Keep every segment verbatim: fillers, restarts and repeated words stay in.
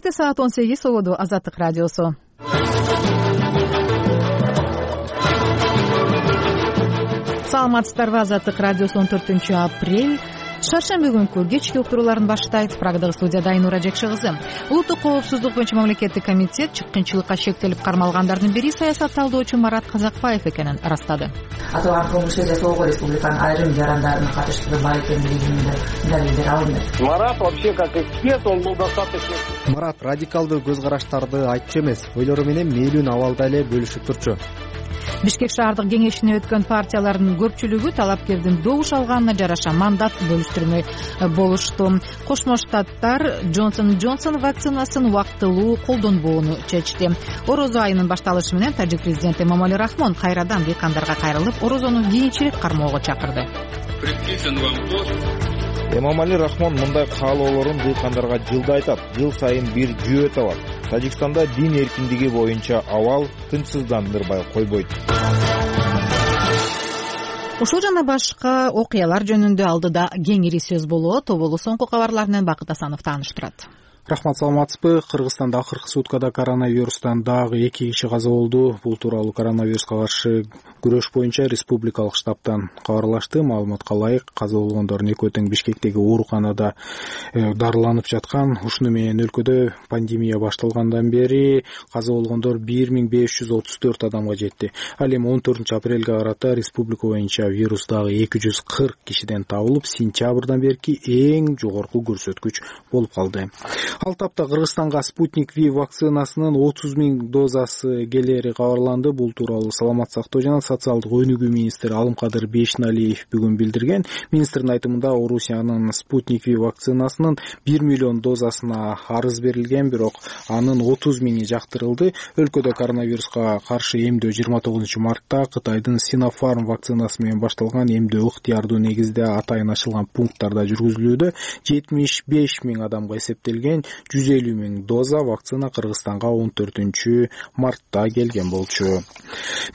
Эфирде саат он сегиз угуду Азаттык радиосу. Саламатсыздарбы? Азаттык радиосу он төртүнчү апрель шаршемби күнкү кечки уктурууларын баштайт. Программада студияда Айнура Жекши кызы. Улуттук коопсуздук боюнча мамлекеттик комитет чыккынчылыкка шектелип кармалгандардын бири саясат талдоочу Марат Казакбаев экенин ырастады. Аталган кылмышты жасоого республиканын айрым жарандарынын катыштыгы бар экендигинин далилдери алынды. Марат вообще как эксперт, он был достаточно. Марат радикалдуу көз караштарды айтчу эмес, ойлору менен мээлүүн абалда эле бөлүшүп турчу. Бишкек шаардык кеңешине өткөн партиялардын көпчүлүгү талапкердин добуш алганына жараша мандат бөлүштүрмөй болушту. Кошмо Штаттар Джонсон Джонсон вакцинасын убактылуу колдонбоону чечти. Орозо айынын башталышы менен тажик президенти Эмомали Рахмон кайрадан дыйкандарга кайрылып, орозону кийинчерээк кармоого чакырды. Эмомали Рахмон мындай каалоолорун дыйкандарга жылда айтат. Жыл сайын бир жүйө табат. Тажикстанда дин эркиндиги боюнча абал тынчсыздандырбай койбойт. Ушул жана башка окуялар жөнүндө алдыда кеңири сөз болот. Тоболу соңку кабарлар менен Бакыт Асанов тааныштырат. Рахмат, саламатсызбы? Кыргызстанда акыркы суткада коронавирустан дагы эки киши каза болду. Бул тууралуу коронавируска каршы күрөш боюнча республикалык штабтан кабарлашты. Маалыматка ылайык, каза болгондордун экөө тең Бишкектеги ооруканада дарыланып жаткан. Ушуну менен өлкөдө пандемия башталгандан бери каза болгондор бир миң беш жүз отуз төрт адамга жетти. Ал эми он төртүнчү апрелге карата республика боюнча вирус дагы эки жүз кырк кишиден табылып, сентябрдан берки эң жогорку көрсөткүч болуп калды. Ал тапта Кыргызстанга Спутник Ви вакцинасынын отуз миң дозасы келери кабарланды. Бул тууралуу Саламат сактоо жана социалдык өнүгүү министри Алымкадыр Бейшеналиев бүгүн билдирген. Министрдин айтымында Орусиянын Спутник Ви вакцинасынын бир миллион дозасына арыз берилген, бирок анын отуз миңи жактырылды. Өлкөдө коронавируска каршы эмдөө жыйырма тогузунчу мартта Кытайдын Sinopharm вакцинасы менен башталган эмдөө ыктыярдуу негизде атайын ачылган пункттарда жүргүзүлүүдө. жетимиш беш миң адамга эсептелген жүз элүү миң доза вакцина Кыргызстанга он төртүнчү мартта келген болчу.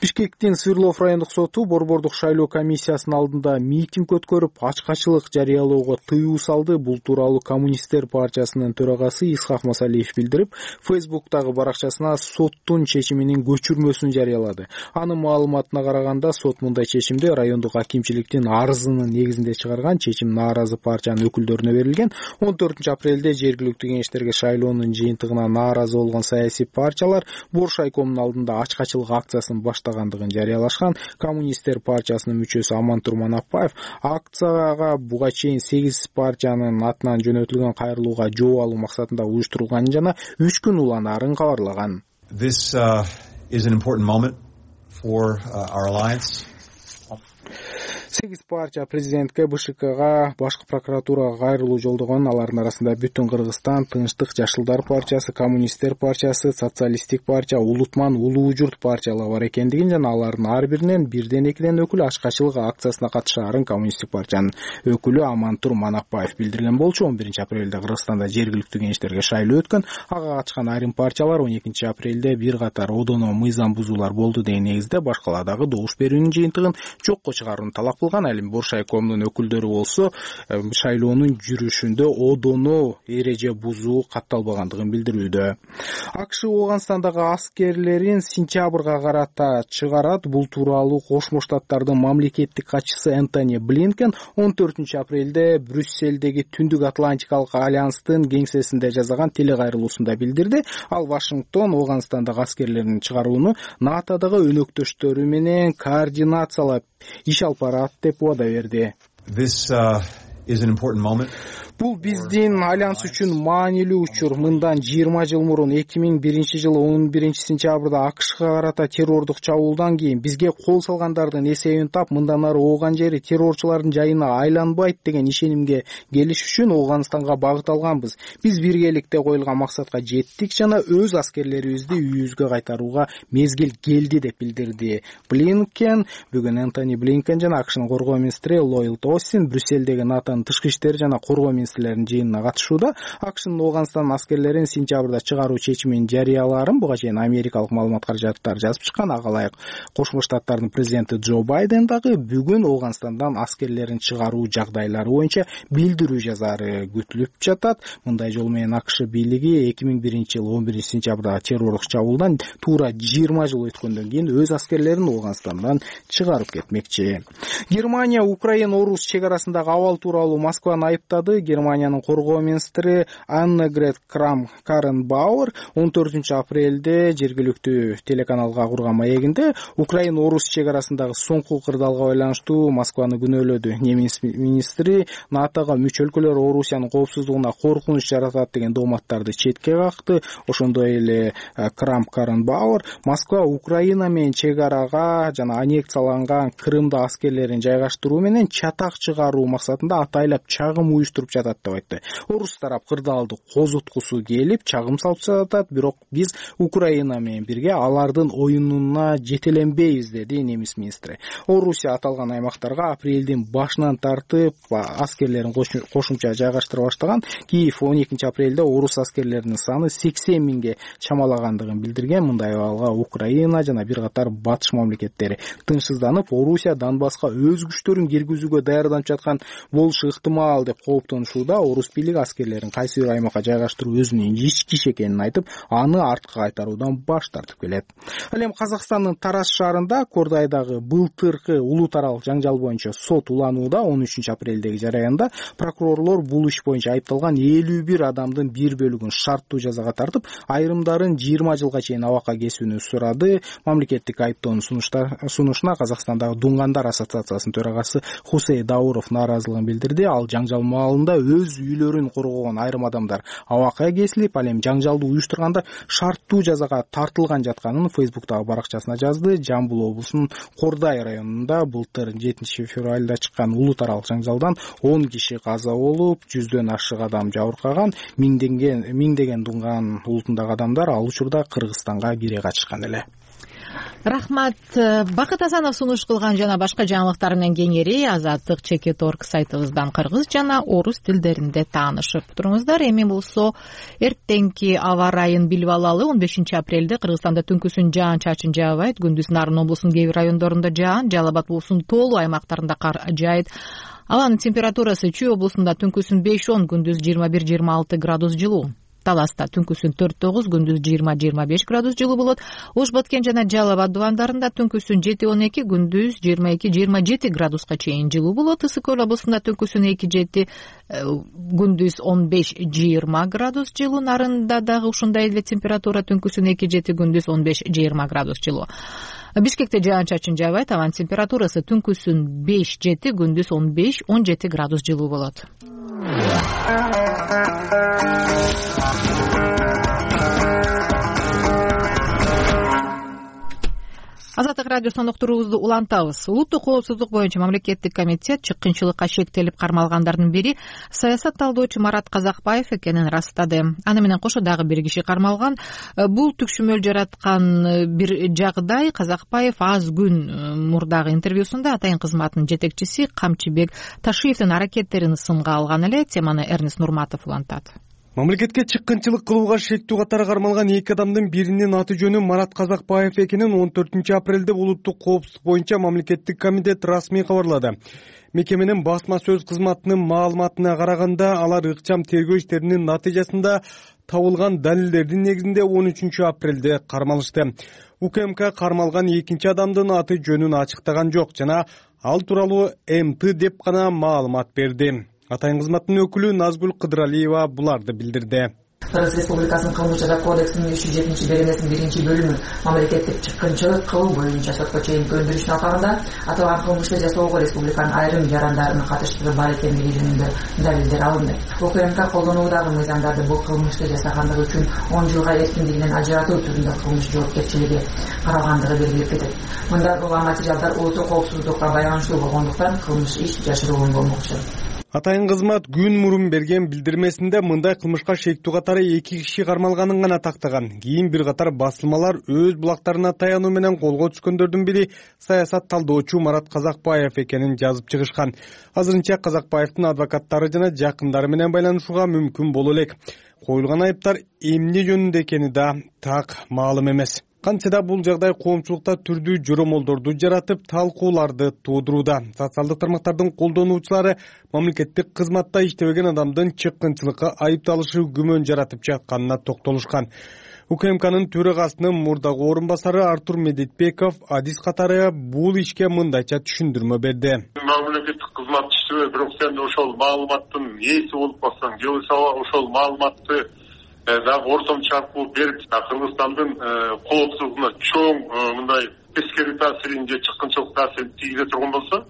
Бишкектин Свердлов райондук соту борбордук шайлоо комиссиясынын алдында митинг өткөрүп, ачкачылык жарыялоого тыюу салды. Бул тууралуу Коммунисттер партиясынын төрагасы Исхак Масалиев билдирип, Фейсбуктагы баракчасына соттун чечиминин көчүрмөсүн жарыялады. Анын маалыматына караганда, сот мындай чечимди райондук акимчиликтин арызынын негизинде чыгарган. Чечим нааразы партиянын өкүлдөрүнө берилген. он төртүнчү апрелде жергиликтүү кеңештерге шайлоонун жыйынтыгына нааразы болгон саясий партиялар Бош айкомунун алдында ачкачылык акциясын баштагандыгын жарыялашкан. Коммунисттер партиясынын мүчөсү Амантур Манапбаев акцияга буга чейин сегиз партиянын атынан жөнөтүлгөн кайрылууга жооп алуу максатында уюштурулганын жана үч күн уланаарын кабарлаган. This uh, is an important moment for uh, our alliance. сегиз партия президентке, БШКга, башкы прокуратурага кайрылуу жолдогон. Алардын арасында Бүтүн Кыргызстан, Тынчтык Жашылдар партиясы, Коммунисттер партиясы, Социалисттик партия, Улутман, Улуу Журт партиялары бар экендигин жана алардын ар биринен бирден экиден өкүл ачкачылык акциясына катышаарын Коммунисттик партиянын өкүлү Амантур Манапбаев билдирген болчу. он биринчи апрелде Кыргызстанда жергиликтүү кеңештерге шайлоо өткөн. Ага катышкан айрым партиялар он экинчи апрелде бир катар одоно мыйзам бузуулар болду деген негизде башкаладагы добуш берүүнүн жыйынтыгын жокко чыгарууну талап кылган. Ал эми Бош айкомунун өкүлдөрү болсо шайлоонун жүрүшүндө одоно эреже бузуу катталбагандыгын билдирүүдө. АКШ Ооганстандагы аскерлерин сентябрга карата чыгарат. Бул тууралуу Кошмо Штаттардын мамлекеттик катчысы Энтони Блинкен он төртүнчү апрелде Брюсселдеги Түндүк Атлантикалык альянстын кеңсесинде жасаган телекайрылуусунда билдирди. Ал Вашингтон Ооганстандагы аскерлерин чыгарууну НАТОдогу өнөктөштөрү менен координациялап иш алып барат деп убада берди. This uh, is an important moment. Бул биздин альянс үчүн маанилүү учур. Мындан жыйырма жыл мурун эки миң биринчи жылы он биринчи сентябрда АКШга карата террордук чабуулдан кийин бизге кол салгандардын эсебин тап, мындан ары ооган жери террорчулардын жайына айланбайт деген ишенимге келиш үчүн Ооганстанга багыт алганбыз. Биз биргеликте коюлган максатка жеттик жана өз аскерлерибизди үйүбүзгө кайтарууга мезгил келди деп билдирди Блинкен. Бүгүн Энтони Блинкен жана АКШнын коргоо министри Ллойд Остин Брюсселдеги НАТОнун тышкы иштер жана коргоо министрлеринин жыйынына катышууда. АКШнын Ооганстан аскерлерин сентябрда чыгаруу чечимин жарыялаарын буга чейин америкалык маалымат каражаттар жазып чыккан. Ага ылайык Кошмо Штаттардын президенти Джо Байден дагы бүгүн Ооганстандан аскерлерин чыгаруу жагдайлары боюнча билдирүү жазаары күтүлүп жатат. Мындай жол менен АКШ бийлиги эки миң биринчи жылы он биринчи сентябрда террорлук чабуулдан туура жыйырма жыл өткөндөн кийин өз аскерлерин Ооганстандан чыгарып кетмекчи. Германия Украина-Орус чек арасындагы абал тууралуу Москваны айыптады. Германиянын коргоо министри Аннегрет Крамп-Карренбауэр он төртүнчү апрелде жергиликтүү телеканалга курган маегинде Украина-Орус чек арасындагы соңку кырдаалга байланыштуу Москваны күнөөлөдү. Немис министри НАТОго мүчө өлкөлөр Орусиянын коопсуздугуна коркунуч жаратат деген дооматтарды четке какты. Ошондой эле Крамп-Карренбауэр Москва Украина менен чек арага жана аннексияланган Крымда аскерлерин жайгаштыруу менен чатак чыгаруу максатында атайлап чагым уюштуруп жатат деп айтты. Орус тарап кырдаалды козуткусу келип чагым салып жатат, бирок биз Украина менен бирге алардын оюнуна жетеленбейбиз, деди немис министри. Орусия аталган аймактарга апрелдин башынан тартып аскерлерин кошумча жайгаштыра баштаган. Киев он экинчи апрелде орус аскерлеринин саны сексен миңге чамалагандыгын билдирген. Мындай абалга Украина жана бир катар батыш мамлекеттери тынчсызданып, Орусия Донбасска өз күчтөрүн киргизүүгө даярданып жаткан болушу ыктымал деп кооптонушууда. Орус бийлиги аскерлерин кайсы бир аймакка жайгаштыруу өзүнүн ички иш экенин айтып, аны артка кайтаруудан баш тартып келет. Ал эми Казакстандын Тараз шаарында Кордайдагы былтыркы улуу таралык жаңжал боюнча сот уланууда. он үчүнчү апрелдеги жараянда прокурорлор бул иш боюнча айыпталган элүү бир адамдын бир бөлүгүн шарттуу жазага тартып, айрымдарын жыйырма жылга чейин абакка кесүүнү сурады. Мамлекеттик айыптоонун сунушуна Казакстандагы Дунгандар ассоциациясынын төрагасы Хусей Дауров нааразылыгын билдирди. Ал жаңжал маалында өз үйлөрүн коргогон айрым адамдар абакка кесилип, ал эми жаңжалды уюштургандар шарттуу жазага тартылган жатканын Фейсбуктагы баракчасына жазды. Жамбыл облусунун Кордай районунда былтыр жетинчи февралда чыккан улуу таралык жаңжалдан он киши каза болуп, жүздөн ашык адам жабыркаган. Миңдеген миңдеген Дунган улутундагы адамдар ал учурда Кыргызстанга кире качышкан эле. Рахмат. Бакыт Асанов сунуш кылган жана башка жаңылыктар менен кеңири Азаттык чекит точка орг сайтыбыздан кыргыз жана орус тилдеринде таанышып туруңуздар. Эми болсо эртеңки аба ырайын билип алалы. он бешинчи апрелде Кыргызстанда түнкүсүн жаан-чачын жаабайт. Күндүз Нарын облусунун кээ бир райондорунда жаан, Жалал Абад облусунун тоолуу аймактарында кар жаайт. Абанын температурасы Чүй облусунда түнкүсүн беш он, күндүз жыйырма бир жыйырма алты градус жылуу. Таласта түнкүсүн төрт тогуз, күндүз жыйырма жыйырма беш градус жылуу болот. Ош Баткен жана Жалал Абад дубандарында түнкүсүн жети он эки, күндүз жыйырма эки жыйырма жети градуска чейин жылуу болот. Ысык Көл облусунда түнкүсүн эки жети, күндүз он беш жыйырма градус жылуу. Нарында дагы ушундай эле температура, түнкүсүн эки жети, күндүз он беш жыйырма градус жылуу. Бишкекте жаан-чачын жаабайт. Абанын температурасы түнкүсүн беш жети, күндүз он беш он жети градус жылуу болот. Азаттык радиосунун уктуруубузду улантабыз. Улуттук коопсуздук боюнча мамлекеттик комитет чыккынчылыкка шектелип кармалгандардын бири саясат талдоочу Марат Казакбаев экенин ырастады. Аны менен кошо дагы бир киши кармалган. Бул түкшүмөл жараткан бир жагдай. Казакбаев аз күн мурдагы интервьюсунда атайын кызматынын жетекчиси Камчыбек Ташиевдин аракеттерин сынга алган эле. Теманы Эрнест Нурматов улантат. Мамлекетке чыккынчылык кылууга шектүү катары кармалган эки адамдын биринин аты жөнү Марат Казакбаев экенин он төртүнчү апрелде улуттук коопсуздук боюнча мамлекеттик комитет расмий кабарлады. Мекеменин басма сөз кызматынын маалыматына караганда, алар ыкчам тергөө иштеринин натыйжасында табылган далилдердин негизинде он үчүнчү апрелде кармалышты. УКМК кармалган экинчи адамдын аты жөнүн ачыктаган жок жана ал тууралуу МТ деп гана маалымат берди. Атайын кызматтын өкүлү Назгүл Кыдыралиева буларды билдирди. Кыргыз Республикасынын кылмыш жаза кодексинин үч жүз жетинчи беренесинин биринчи бөлүмү мамлекеттик чыккынчылык кылуу боюнча сотко чейин көндүрүшүнүн алкагында аталган кылмышты жасоого республиканын айрым жарандарынын катыштыгы бар экендиги жөнүндө далилдер алынды. УКМК колдонуудагы мыйзамдарды бул кылмышты жасагандыгы үчүн он жылга эркиндигинен ажыратуу түрүндө кылмыш жоопкерчилиги каралгандыгы белгилеп кетет. Мында улам материалдар улуттук коопсуздукка байланыштуу болгондуктан кылмыш иш жашыруун болмокчу. Атайын кызмат күн мурун берген билдирмесинде мындай кылмышка шектүү катары эки киши кармалганын гана тактаган. Кийин бир катар басылмалар өз булактарына таянуу менен колго түшкөндөрдүн бири саясат талдоочу Марат Казакбаев экенин жазып чыгышкан. Азырынча Казакбаевдин адвокаттары жана жакындары менен байланышууга мүмкүн боло элек. Коюлган айыптар эмне жөнүндө экени да так маалым эмес. Кантсе да бул жагдай коомчулукта түрдүү жоромолдорду жаратып, талкууларды туудурууда. Социалдык тармактардын колдонуучулары мамлекеттик кызматта иштебеген адамдын чыккынчылыкка айыпталышы күмөн жаратып жатканына токтолушкан. УКМКнын төрагасынын мурдагы орун басары Артур Медетбеков адис катары бул ишке мындайча түшүндүрмө берди. Мамлекеттик кызмат иштебей, бирок сен ошол маалыматтын ээси болуп калсаң, же болбосо ошол маалыматты дагы ортомчу аркылуу берип, Кыргызстандын коопсуздугуна чоң мындай тескери таасирин же чыккынчылык таасирин тийгизе турган болсо,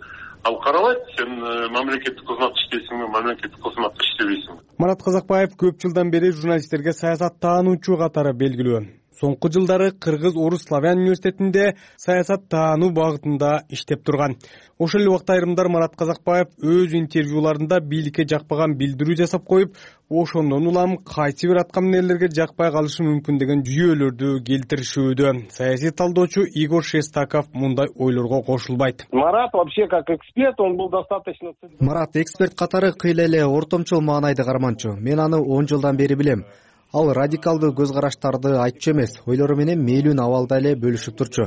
ал карабайт, сен мамлекеттик кызмат иштейсиңби, мамлекеттик кызматта иштебейсиңби. Марат Казакбаев көп жылдан бери журналисттерге саясат таануучу катары белгилүү. Соңку жылдары Кыргыз Орус Славян университетинде саясат таануу багытында иштеп турган. Ошол эле убакта айрымдар Марат Казакбаев өз интервьюларында бийликке жакпаган билдирүү жасап коюп, ошондон улам кайсы бир аткаминерлерге жакпай калышы мүмкүн деген жүйөлөрдү келтиришүүдө. Саясий талдоочу Игорь Шестаков мындай ойлорго кошулбайт. Марат вообще как эксперт, он был достаточно... Марат эксперт катары кыйла эле ортомчул маанайды карманчу. Мен аны он жылдан бери билем. Ал радикалдуу көз караштарды айтчу эмес, ойлору менен мээлүүн абалда эле бөлүшүп турчу.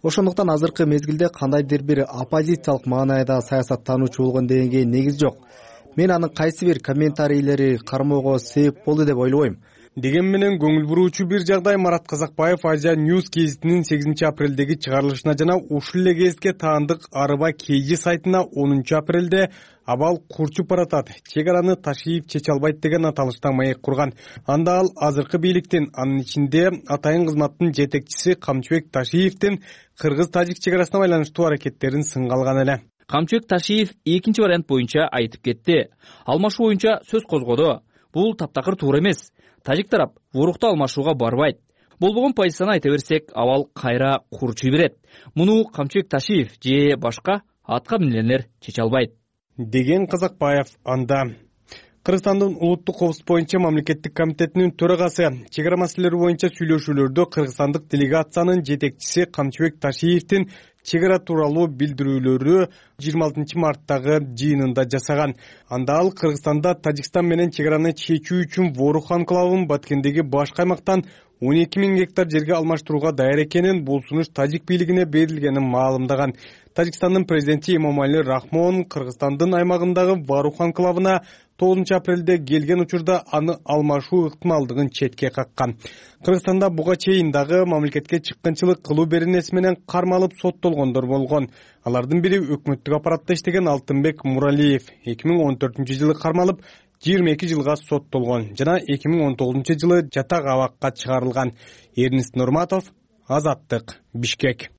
Ошондуктан азыркы мезгилде кандайдыр бир оппозициялык маанайда саясаттануучу болгон дегенге негиз жок. Мен анын кайсы бир комментарийлери кармоого себеп болду деп ойлобойм. Деген менен көңүл буруучу бир жагдай Марат Казакбаев Азия News гезитинин сегизинчи апрелдеги чыгарылышына жана ушул эле гезитке таандык Арыба Кейжи сайтына онунчу апрелде абал курчуп баратат, чек араны Ташиев чече албайт деген аталышта маек курган. Анда ал азыркы бийликтин, анын ичинде атайын кызматтын жетекчиси Камчыбек Ташиевдин кыргыз-тажик чек арасына байланыштуу аракеттерин сынга алган эле. Камчыбек Ташиев экинчи вариант боюнча айтып кетти. Алмашуу боюнча сөз козгоду. Бул таптакыр туура эмес. Тажик тарап ворукту алмашууга барбайт. Болбогон позицияны айта берсек, абал кайра курчуй берет. Муну Камчыбек Ташиев же башка атка минелер чече албайт деген Казакбаев. Анда Кыргызстандын улуттук коопсуздук боюнча мамлекеттик комитетинин төрагасы чек ара маселелери боюнча сүйлөшүүлөрдө кыргызстандык делегациянын жетекчиси Камчыбек Ташиевдин чек ара тууралуу билдирүүлөрү жыйырма алтынчы марттагы жыйынында жасаган. Анда ал Кыргызстанда Тажикстан менен чек араны чечүү үчүн Ворух анклавын Баткендеги баш каймактан он эки миң гектар жерге алмаштырууга даяр экенин, бул сунуш тажик бийлигине берилгенин маалымдаган. Тажикстандын президенти Эмомали Рахмон Кыргызстандын аймагындагы Ворух анклавына тогузунчу апрелде келген учурда аны алмашуу ыктымалдыгын четке каккан. Кыргызстанда буга чейин дагы мамлекетке чыккынчылык кылуу беренеси менен кармалып соттолгондор болгон. Алардын бири өкмөттүк аппаратта иштеген Алтынбек Муралиев эки миң он төртүнчү жылы кармалып жыйырма эки жылга соттолгон жана эки миң он тогузунчу жылы жатак абакка чыгарылган. Эрнест Нурматов, Азаттык, Бишкек.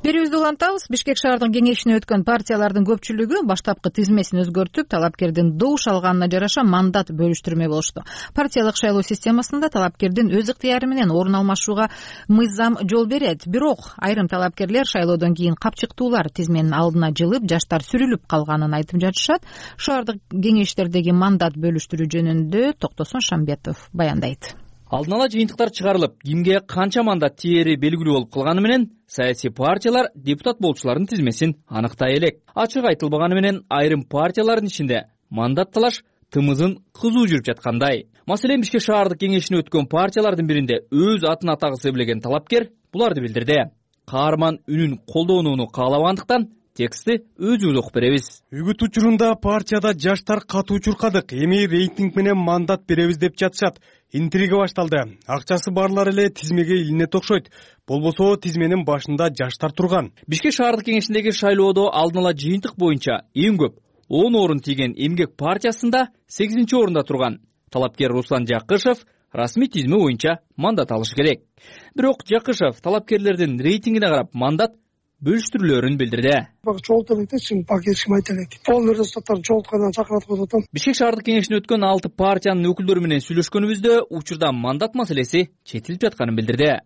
Берүүбүздү улантабыз. Бишкек шаардык кеңешине өткөн партиялардын көпчүлүгү баштапкы тизмесин өзгөртүп, талапкердин добуш алганына жараша мандат бөлүштүрмөй болушту. Партиялык шайлоо системасында талапкердин өз ыктыяры менен орун алмашууга мыйзам жол берет. Бирок айрым талапкерлер шайлоодон кийин капчыктуулар тизменин алдына жылып, жаштар сүрүлүп калганын айтып жатышат. Шаардык кеңештердеги мандат бөлүштүрүү жөнүндө Токтосун Шамбетов баяндайт. Алдын ала жыйынтыктар чыгарылып, кимге канча мандат тиери белгилүү болуп калганы менен саясий партиялар депутат болчулардын тизмесин аныктай элек. Ачык айтылбаганы менен айрым партиялардын ичинде мандат талаш тымызын кызуу жүрүп жаткандай. Маселен, Бишкек шаардык кеңешине өткөн партиялардын биринде өз атын атагысы келген талапкер буларды билдирди. Каарман үнүн колдонууну каалабагандыктан текстти өзүбүз окуп беребиз. Үгүт учурунда партияда жаштар катуу чуркадык, эми рейтинг менен мандат беребиз деп жатышат. Интрига башталды. Акчасы барлар эле тизмеге илинет окшойт. Болбосо тизменин башында жаштар турган. Бишкек шаардык кеңешиндеги шайлоодо алдын ала жыйынтык боюнча эң көп он орун тийген Эмгек партиясында сегизинчи орунда турган талапкер Руслан Жакышев расмий тизме боюнча мандат алышы керек. Бирок Жакышев талапкерлердин рейтингине карап мандат бөлүштүрүүлөрүн билдирди. Чогулта элек пак ешким айта элек. Полный результаттарын чогулткандан чакыртып атам. Бишкек шаардык кеңешине өткөн алты партиянын өкүлдөрү менен сүйлөшкөнүбүздө учурда мандат маселеси четилип жатканын билдирди.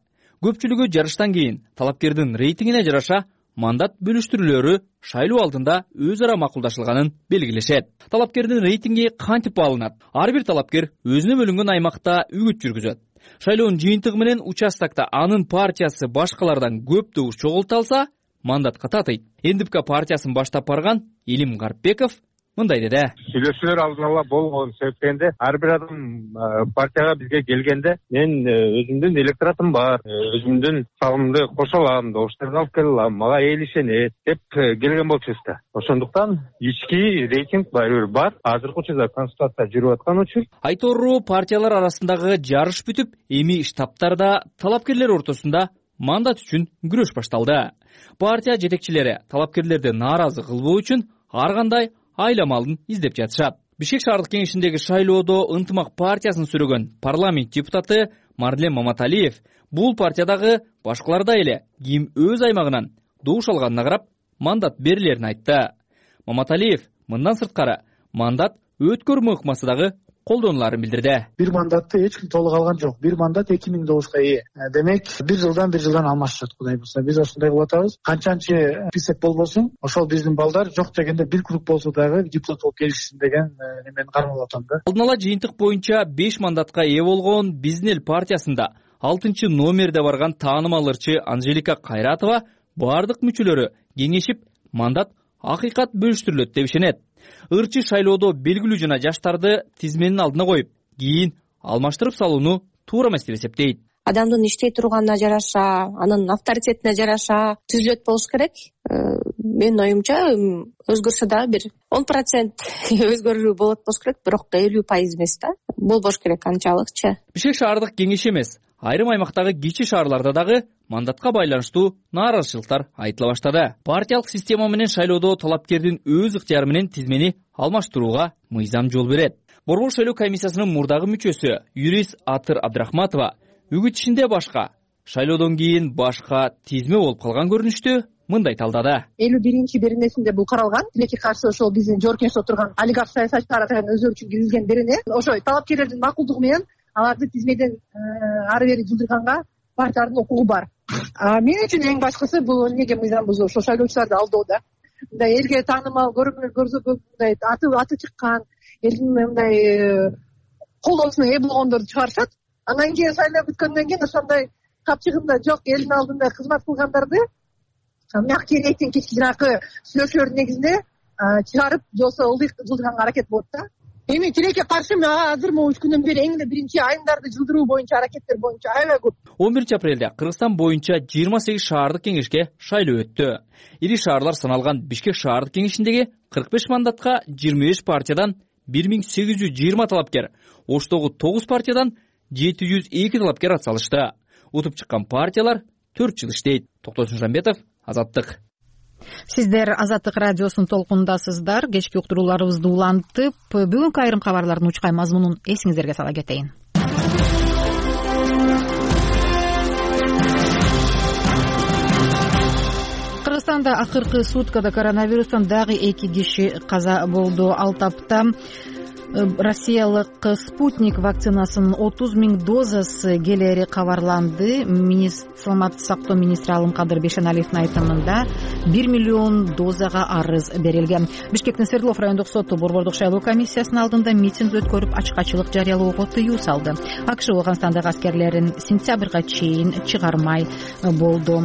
Көпчүлүгү жарыштан кийин талапкердин рейтингине жараша мандат бөлүштүрүүлөрү шайлоо алдында өз ара макулдашылганын белгилешет. Талапкердин рейтинги кантип алынат? Ар бир талапкер өзүнө бөлүнгөн аймакта үгүт жүргүзөт. Шайлоонун жыйынтыгы менен участокто анын партиясы башкалардан көп добуш чогулта алса, мандатка татыйт. НДПК партиясын баштап барган Илим Гарпбеков мындай деди. Сүйлөшүүлөр алдын ала болгон себептен ар бир адам партияга бизге келгенде мен өзүмдүн электоратым бар, өзүмдүн салымды кошо алам, добуштарды алып келе алам, мага эл ишенет деп келген болчубуз да. Ошондуктан ички рейтинг барыбир бар. Азыркы учурда консультация жүрүп аткан учур. Айтору партиялар арасындагы жарыш бүтүп, эми штабтарда талапкерлер ортосунда мандат үчүн күрөш башталды. Партия жетекчилери талапкерлерди нааразы кылбоо үчүн ар кандай айламалын издеп жатышат. Бишкек шаардык кеңешиндеги шайлоодо Ынтымак партиясын сүрөгөн парламент депутаты Марлен Маматалиев бул партиядагы башкалардай эле ким өз аймагынан добуш алганына карап мандат берилерин айтты. Маматалиев мындан сырткары мандат өткөрмө ыкмасы дагы колдонуларын билдирди. Бир мандатты эч ким толук алган жок. Бир мандат эки миң добушка ээ. Демек, бир жылдан бир жылдан алмашышат Кудай булса. Биз ошондой кылып атабыз. Канчанчы список болбосун, ошол биздин балдар жок дегенде бир круг болсо дагы депутат болуп келишсин деген мен кармалап атам да. Алдын ала жыйынтык боюнча беш мандатка ээ болгон Биздин эл партиясында алтынчы номерде барган таанымал ырчы Анжелика Кайратова бардык мүчөлөрү кеңешип мандат акыйкат бөлүштүрүлөт деп ишенет. Ырчы шайлоодо белгилүү жана жаштарды тизменин алдына коюп, кийин алмаштырып салууну туура эмес деп эсептейт. Адамдын иштей турганына жараша, анын авторитетине жараша түзүлөт болуш керек. Менин оюмча өзгөрсө дагы бир он процент өзгөрүү болот болуш керек, бирок элүү пайыз эмес да. Болбош керек анчалыкчы. Бишкек шаардык кеңеши эмес, айрым аймактагы кичи шаарларда дагы мандатка байланыштуу нааразычылыктар айтыла баштады. Партиялык система менен шайлоодо талапкердин өз ыктыяры менен тизмени алмаштырууга мыйзам жол берет. Борбор шайлоо комиссиясынын мурдагы мүчөсү юрист Атыр Абдрахматова үгүт ишинде башка, шайлоодон кийин башка тизме болуп калган көрүнүштү мындай талдады. элүү биринчи беренесинде бул каралган. Тилекке каршы ошол биздин жогорку кеңеште отурган олигарх саясатчылар өздөрү үчүн киргизген берене. Ошо талапкерлердин макулдугу менен аларды тизмеден ары бери жылдырганга партиялардын укугу бар. Мен үчүн эң башкысы бул эмнеге мыйзам бузуу, ошо шайлоочуларды алдоо да. Мындай элге таанымал көрүнүп көрсөтүп, мындай аты аты чыккан, элдин мындай колдоосуна ээ болгондорду чыгарышат. Андан кийин шайлоо бүткөндөн кийин ошондой капчыгында жок элдин алдында кызмат кылгандарды мягкий рейтинг кичи жанакы сүйлөшүүлөрдүн негизинде чыгарып, жолсо ылдый жылдырганга аракет болот да. Эми тилекке каршы азыр могу үч күндөн бери эң эле биринчи айымдарды жылдыруу боюнча аракеттер боюнча аябай көп. он биринчи апрелде Кыргызстан боюнча жыйырма сегиз шаардык кеңешке шайлоо өттү. Ири шаарлар саналган Бишкек шаардык кеңешиндеги кырк беш мандатка жыйырма беш партиядан бир миң сегиз жүз жыйырма талапкер, Оштогу тогуз партиядан жети жүз эки талапкер атсалышты. Утуп чыккан партиялар төрт жыл иштейт. Токтосун Жамбетов, Азаттык. Сиздер Азаттык радиосунун толкунундасыздар. Кечки уктурууларыбызды улантып, бүгүнкү айрым кабарлардын учкай мазмунун эсиңиздерге сала кетейин. Кыргызстанда акыркы суткада коронавирустан дагы эки киши каза болду. Ал тапта Россиялык Спутник вакцинасынын отуз миң дозасы келери кабарланды. Саламаттык сактоо министри Алымкадыр Бешеналиевдин айтымында бир миллион дозага арыз берилген. Бишкектин Свердлов райондук соту борбордук шайлоо комиссиясынын алдында митинг өткөрүп ачкачылык жарыялоого тыюу салды. АКШ Ооганстандагы аскерлерин сентябрга чейин чыгармай болду.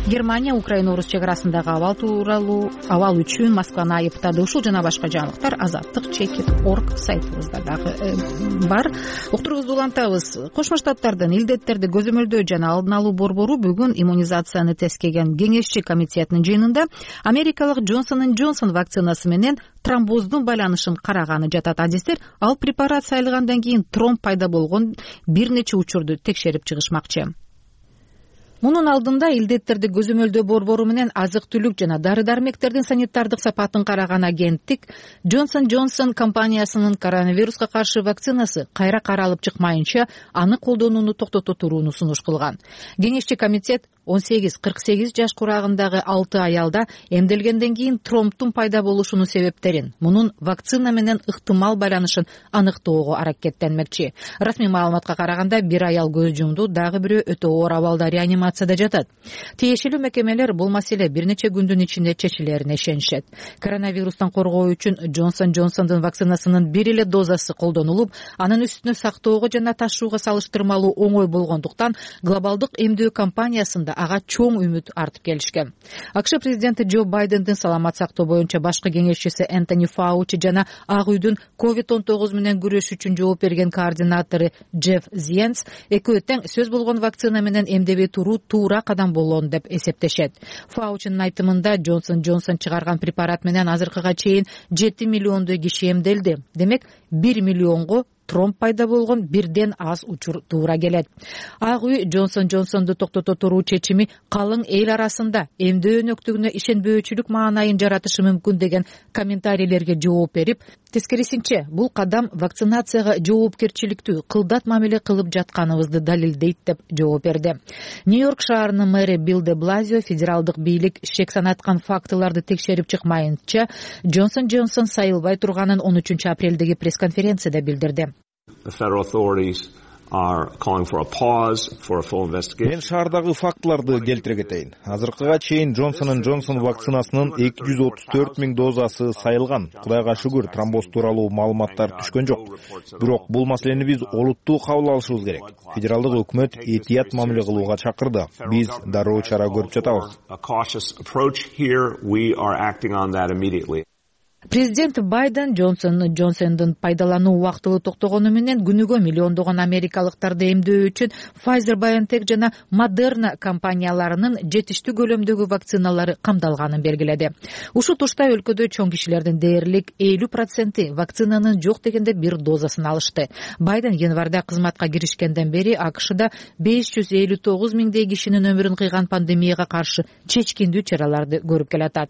Германия Украина орус чек арасындагы абал тууралуу абал үчүн Москваны айыптады. Ушул жана башка жаңылыктар азаттык чекит орг сайтыбызда дагы бар. Уктуруубузду улантабыз. Кошмо Штаттардын илдеттерди көзөмөлдөө жана алдын алуу борбору бүгүн иммунизацияны тескеген кеңешчи комитетинин жыйынында америкалык Джонсон энд Джонсон вакцинасы менен тромбоздун байланышын караганы жатат. Адистер ал препарат сайылгандан кийин тромб пайда болгон бир нече учурду текшерип чыгышмакчы. Мунун алдында илдеттерди көзөмөлдөө борбору менен азык-түлүк жана дары-дармектердин санитардык сапатын караган агенттик Джонсон Джонсон компаниясынын коронавируска каршы вакцинасы кайра каралып чыкмайынча аны колдонууну токтото турууну сунуш кылган. Кеңешчи комитет он сегиз кырк сегиз жаш курагындагы алты аялда эмделгенден кийин тромбтун пайда болушунун себептерин, мунун вакцина менен ыктымал байланышын аныктоого аракеттенмекчи. Расмий маалыматка караганда бир аял көз жумду, дагы бирөө өтө оор абалда реанимацияда жатат. Тиешелүү мекемелер бул маселе бир нече күндүн ичинде чечилерине ишенишет. Коронавирустан коргоо үчүн Джонсон Джонсондун вакцинасынын бир эле дозасы колдонулуп, анын үстүнө сактоого жана ташууга салыштырмалуу оңой болгондуктан глобалдык эмдөө компаниясында ага чоң үмүт артып келишкен. АКШ президенти Джо Байдендин саламат сактоо боюнча башкы кеңешчиси Энтони Фаучи жана Ак үйдүн ковид он тогуз менен күрөш үчүн жооп берген координатору Джефф Зиенс экөө тең сөз болгон вакцина менен эмдебей туруу туура кадам болгон деп эсептешет. Фаучинин айтымында Джонсон Джонсон чыгарган препарат менен азыркыга чейин жети миллиондой киши эмделди. Демек бир миллионго тромб пайда болгон бирден аз учур туура келет. Ак үй Джонсон Джонсонду токтото туруу чечими калың эл арасында эмдөө өнөктүгүнө ишенбөөчүлүк маанайын жаратышы мүмкүн деген комментарийлерге жооп берип, тескерисинче бул кадам вакцинацияга жоопкерчиликтүү кылдат мамиле кылып жатканыбызды далилдейт деп жооп берди. Нью-Йорк шаарынын мэри Билл де Блазио федералдык бийлик шек санаткан фактыларды текшерип чыкмайынча Джонсон Джонсон сайылбай турганын он үчүнчү апрелдеги пресс-конференцияда билдирди. Мен шаардагы фактыларды келтире кетейин. Азыркыга чейин Джонсон Джонсон вакцинасынын эки жүз отуз төрт миң дозасы сайылган. Кудайга шүгүр, тромбоз тууралуу маалыматтар түшкөн жок. Бирок бул маселени биз олуттуу кабыл алышыбыз керек. Федералдык өкмөт этият мамиле кылууга чакырды. Биз дароо чара көрүп жатабыз. Президент Байден Джонсон Джонсондун пайдалануу убактылуу токтогону менен күнүгө миллиондогон америкалыктарды эмдөө үчүн Pfizer-BioNTech жана Moderna компанияларынын жетиштүү көлөмдөгү вакциналары камдалганын белгиледи. Ушул тушта өлкөдө чоң кишилердин дээрлик элүү проценти вакцинанын жок дегенде бир дозасын алышты. Байден январда кызматка киришкенден бери АКШда беш жүз элүү тогуз миңдей кишинин өмүрүн кыйган пандемияга каршы чечкиндүү чараларды көрүп келатат.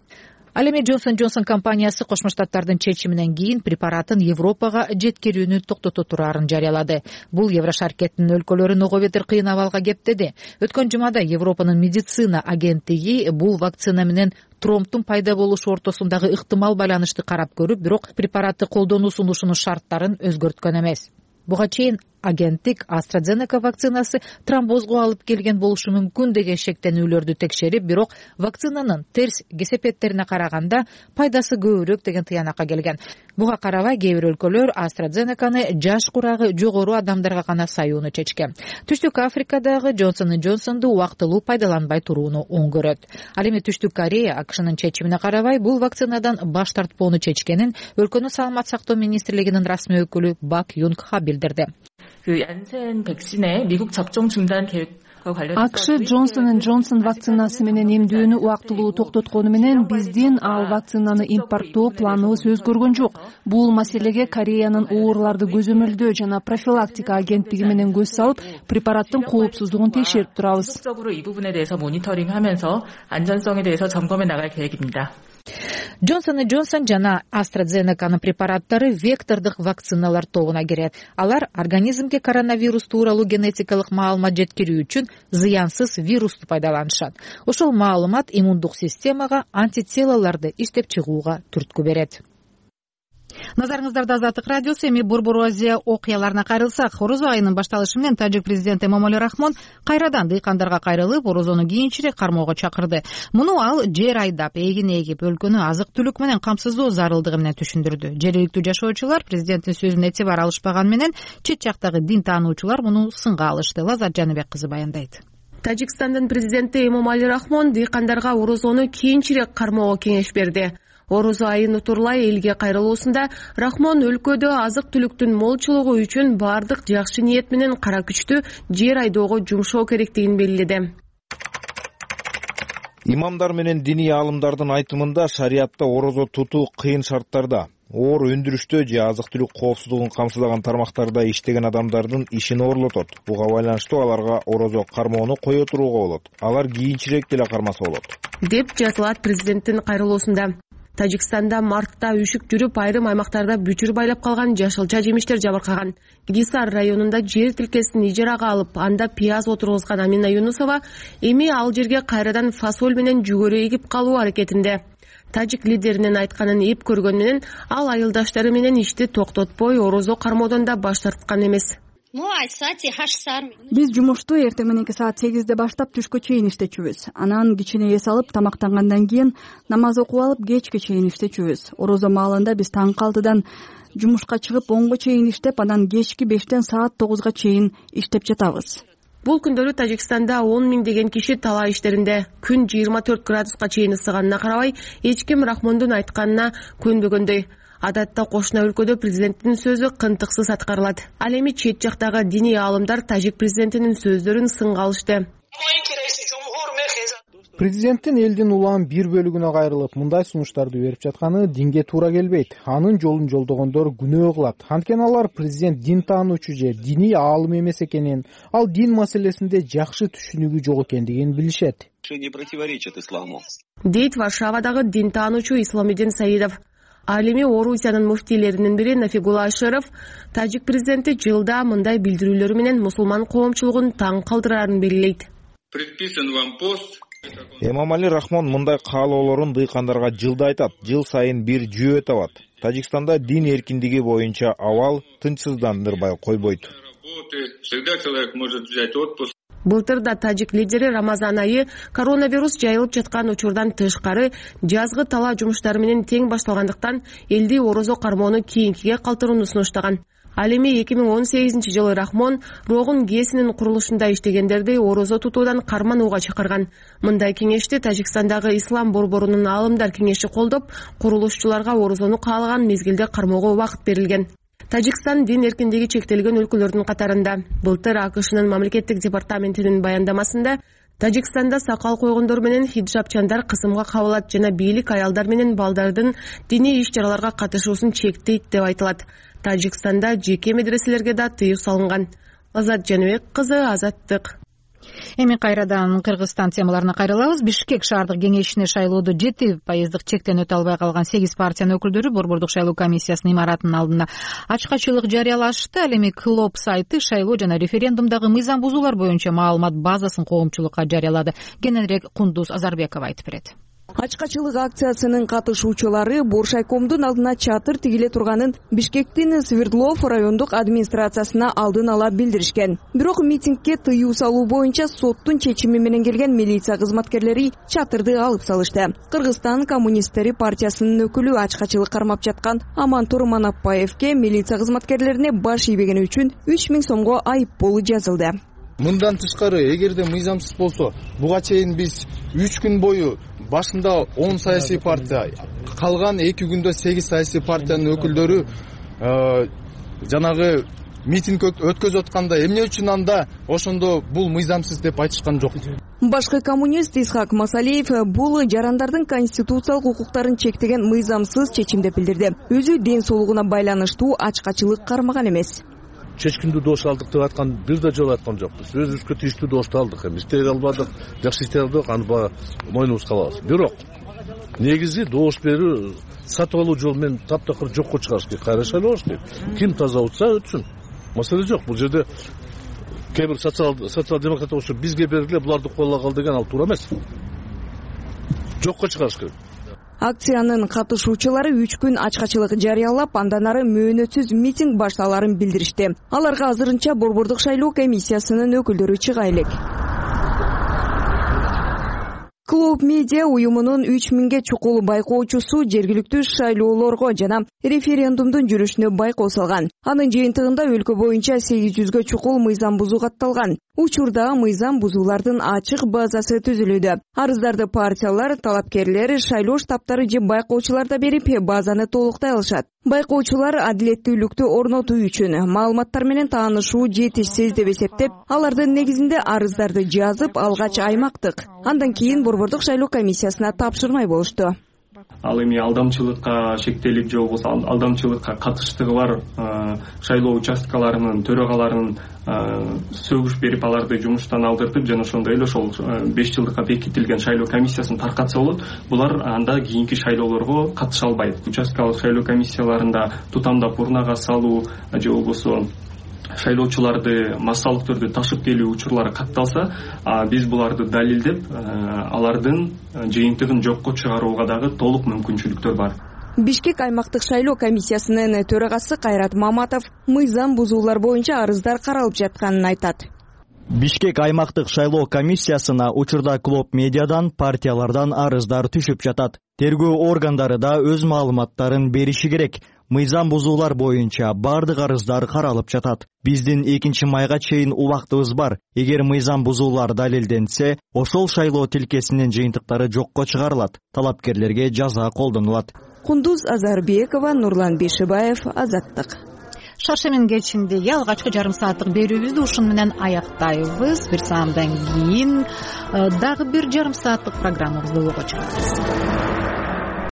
Ал эми Джонсон Джонсон компаниясы Кошмо Штаттардын чечиминен кийин препаратын Европага жеткирүүнү токтото турарын жарыялады. Бул Еврошаркеттин өлкөлөрүн ого бетер кыйын абалга кептеди. Өткөн жумада Европанын медицина агенттиги бул вакцина менен тромбтун пайда болушу ортосундагы ыктымал байланышты карап көрүп, бирок препаратты колдонуу сунушунун шарттарын өзгөрткөн эмес. Буга чейин агенттик AstraZeneca вакцинасы тромбозго алып келген болушу мүмкүн деген шектенүүлөрдү текшерип, бирок вакцинанын терс кесепеттерине караганда пайдасы көбүрөөк деген тыянакка келген. Буга карабай кээ бир өлкөлөр AstraZenecаны жаш курагы жогору адамдарга гана саюуну чечкен. Түштүк Африкадагы Джонсон Джонсонду убактылуу пайдаланбай турууну оң көрөт. Ал эми Түштүк Корея АКШнын чечимине карабай бул вакцинадан баш тартпоону чечкенин өлкөнүн саламат сактоо министрлигинин расмий өкүлү Бак Юнг Ха билдирди. АКШ Джонсон Джонсон вакцинасы менен эмдөөнү убактылуу токтоткону менен биздин ал вакцинаны импорттоо планыбыз өзгөргөн жок. Бул маселеге Кореянын ооруларды көзөмөлдөө жана профилактика агенттиги менен көз салып, препараттын коопсуздугун текшерип турабыз. Джонсон Джонсон жана AstraZenecанын препараттары вектордук вакциналар тобуна кирет. Алар организмге коронавирус тууралуу генетикалык маалымат жеткирүү үчүн зыянсыз вирусту пайдаланышат. Ошол маалымат иммундук системага антителаларды иштеп чыгууга түрткү берет. Назарыңыздарда Азаттык радиосу. Эми Борбор Азия окуяларына кайрылсак, орозо айынын башталышы менен тажик президенти Эмомали Рахмон кайрадан дыйкандарга кайрылып, орозону кийинчерээк кармоого чакырды. Муну ал жер айдап, эгин эгип, өлкөнү азык-түлүк менен камсыздоо зарылдыгы менен түшүндүрдү. Жергиликтүү жашоочулар президенттин сөзүнө этибар алышпаган менен чет жактагы дин таануучулар муну сынга алышты. Лазат Жаныбек кызы баяндайт. Тажикстандын президенти Эмомали Рахмон дыйкандарга орозону кийинчерээк кармоого кеңеш берди. Орозо айын утурлай элге кайрылуусунда Рахмон өлкөдө азык-түлүктүн молчулугу үчүн бардык жакшы ниет менен кара күчтү жер айдоого жумшоо керектигин белгиледи. Имамдар менен диний аалымдардын айтымында шариатта орозо тутуу кыйын шарттарда, оор өндүрүштө же азык-түлүк коопсуздугун камсыздаган тармактарда иштеген адамдардын ишин оорлотот. Буга байланыштуу аларга орозо кармоону кое турууга болот. Алар кийинчерээк деле кармаса болот, деп жазылат президенттин кайрылуусунда. Тажикстанда мартта үшүк жүрүп, айрым аймактарда бүчүр байлап калган жашылча жемиштер жабыркаган. Гисар районунда жер тилкесин ижарага алып, анда пияз отургузган Амина Юнусова эми ал жерге кайрадан фасоль менен жүгөрү эгип калуу аракетинде. Тажик лидеринин айтканын эп көргөн менен ал айылдаштары менен ишти токтотпой орозо кармоодон да баш тарткан эмес. Биз жумушту эртең мененки саат сегизде баштап түшкө чейин иштечүбүз. Анан кичине эс алып, тамактангандан кийин намаз окуп алып, кечке чейин иштечүбүз. Орозо маалында биз таңкы алтыдан жумушка чыгып, онго чейин иштеп, анан кечки бештен саат тогузга чейин иштеп жатабыз. Бул күндөрү Тажикстанда он миңдеген киши талаа иштеринде. Күн жыйырма төрт градуска чейин ысыганына карабай, эч ким Рахмондун айтканына көнбөгөндөй. Адатта кошуна өлкөдө президенттин сөзү кынтыксыз аткарылат. Ал эми чет жактагы диний аалымдар тажик президентинин сөздөрүн сынга алышты. Президенттин элдин улам бир бөлүгүнө кайрылып, мындай сунуштарды берип жатканы динге туура келбейт. Анын жолун жолдогондор күнөө кылат. Анткени алар президент дин таануучу же диний аалым эмес экенин, ал дин маселесинде жакшы түшүнүгү жок экендигин билишет. Дейт Варшавадагы дин таануучу Исламидин Саидов. Ал эми Орусиянын муфтийлеринин бири Нафигула Ашыров тажик президенти жылда мындай билдирүүлөрү менен мусулман коомчулугун таң калтырарын белгилейт. Эмомали Рахмон мындай каалоолорун дыйкандарга жылда айтат, жыл сайын бир жүйө табат. Тажикстанда дин эркиндиги боюнча абал тынчсыздандырбай койбойт. Былтыр да тажик лидери Рамазан айы коронавирус жайылып жаткан учурдан тышкары жазгы талаа жумуштары менен тең башталгандыктан элди орозо кармоону кийинкиге калтырууну сунуштаган. Ал эми эки миң он сегизинчи жылы Рахмон Рогун ГЭСинин курулушунда иштегендерди орозо тутуудан карманууга чакырган. Мындай кеңешти Тажикстандагы ислам борборунун аалымдар кеңеши колдоп, курулушчуларга орозону каалаган мезгилде кармоого убакыт берилген. Тажикстан дин эркиндиги чектелген өлкөлөрдүн катарында. Былтыр АКШнын мамлекеттик департаментинин баяндамасында Тажикстанда сакал койгондор менен хиджабчандар кысымга кабылат жана бийлик аялдар менен балдардын диний иш-чараларга катышуусун чектейт деп айтылат. Тажикстанда жеке медреселерге да тыюу салынган. Азат Жаныбек кызы, Азаттык. Эми кайрадан Кыргызстан темаларына кайрылабыз. Бишкек шаардык кеңешине шайлоодо жети пайыздык чектен өтө албай калган сегиз партиянын өкүлдөрү борбордук шайлоо комиссиясынын имаратынын алдына ачкачылык жарыялашты. Ал эми Клоп сайты шайлоо жана референдумдагы мыйзам бузуулар боюнча маалымат базасын коомчулукка жарыялады. Кененирээк Кундуз Азарбекова айтып берет. Ачкачылык акциясынын катышуучулары Буршайкомдун алдына чатыр тигиле турганын Бишкектин Свердлов райондук администрациясына алдын ала билдиришкен. Бирок митингге тыюу салуу боюнча соттун чечими менен келген милиция кызматкерлери чатырды алып салышты. Кыргызстан коммунисттери партиясынын өкүлү ачкачылык кармап жаткан Амантур Манапбаевке милиция кызматкерлерине баш ийбегени үчүн үч миң сомго айыппул жазылды. Мындан тышкары, эгерде мыйзамсыз болсо, буга чейин биз үч күн бою башында он саясий партия, калган эки күндө сегиз саясий партиянын өкүлдөрү жанагы митинг өткөзүп атканда эмне үчүн анда ошондо бул мыйзамсыз деп айтышкан жок. Башкы коммунист Исхак Масалиев бул жарандардын конституциялык укуктарын чектеген мыйзамсыз чечим деп билдирди. Өзү ден соолугуна байланыштуу ачкачылык кармаган эмес. Чечкиндүү добуш алдык деп аткан бир да жолу айткан жокпуз. Өзүбүзгө тийиштүү добушту алдык, эми иштей албадык, жакшы иштей алдык, аны баягы мойнубузга алабыз. Бирок негизи добуш берүү сатып алуу жолу менен таптакыр жокко чыгарыш керек, кайра шайлоош керек. Ким таза утса өтсүн. Маселе жок. Бул жерде кээ бир социал демократ болушу бизге бергиле, буларды коллагал деген ал туура эмес. Жокко чыгарыш керек. Акциянын катышуучулары үч күн ачкачылык жарыялап, андан ары мөөнөтсүз митинг башталарын билдиришти. Аларга азырынча борбордук шайлоо комиссиясынын өкүлдөрү чыга элек. Клоп медиа уюмунун үч миңге чукул байкоочусу жергиликтүү шайлоолорго жана референдумдун жүрүшүнө байкоо салган. Анын жыйынтыгында өлкө боюнча сегиз жүзгө чукул мыйзам бузуу катталган. Учурда мыйзам бузуулардын ачык базасы түзүлүүдө. Арыздарды партиялар, талапкерлер, шайлоо штабтары же байкоочулар да берип, базаны толуктай алышат. Байкоочулар адилеттүүлүктү орнотуу үчүн маалыматтар менен таанышуу жетишсиз деп эсептеп, алардын негизинде арыздарды жазып, алгач аймактык, андан кийин борбордук шайлоо комиссиясына тапшырмай болушту. ал эми алдамчылыкка шектелип же болбосо алдамчылыкка катыштыгы бар шайлоо участкаларынын төрагаларынын сөгүш берип аларды жумуштан алдыртып жана ошондой эле ошол беш жылдыкка бекитилген шайлоо комиссиясын таркатса болот. Булар анда кийинки шайлоолорго катыша албайт. Участкалык шайлоо комиссияларында тутамдап урнага салуу же болбосо шайлоочуларды массалык түрдө ташып келүү учурлары катталса, биз буларды далилдеп, алардын жыйынтыгын жокко чыгарууга дагы толук мүмкүнчүлүктөр бар. Бишкек аймактык шайлоо комиссиясынын төрагасы Кайрат Маматов мыйзам бузуулар боюнча арыздар каралып жатканын айтат. Бишкек аймактык шайлоо комиссиясына учурда Клоп медиадан, партиялардан арыздар түшүп жатат. Тергөө органдары да өз маалыматтарын бериши керек. Мыйзам бузуулар боюнча бардык арыздар каралып жатат. Биздин экинчи майга чейин убактыбыз бар. Эгер мыйзам бузуулар далилденсе, ошол шайлоо тилкесинин жыйынтыктары жокко чыгарылат. Талапкерлерге жаза колдонулат. Кундуз Азарбекова, Нурлан Бейшибаев, Азаттык. Шаршемин кечиндеги алгачкы жарым сааттык берүүбүздү ушун менен аяктайбыз. Бир саамдан кийин дагы бир жарым сааттык программабызды улгучубуз.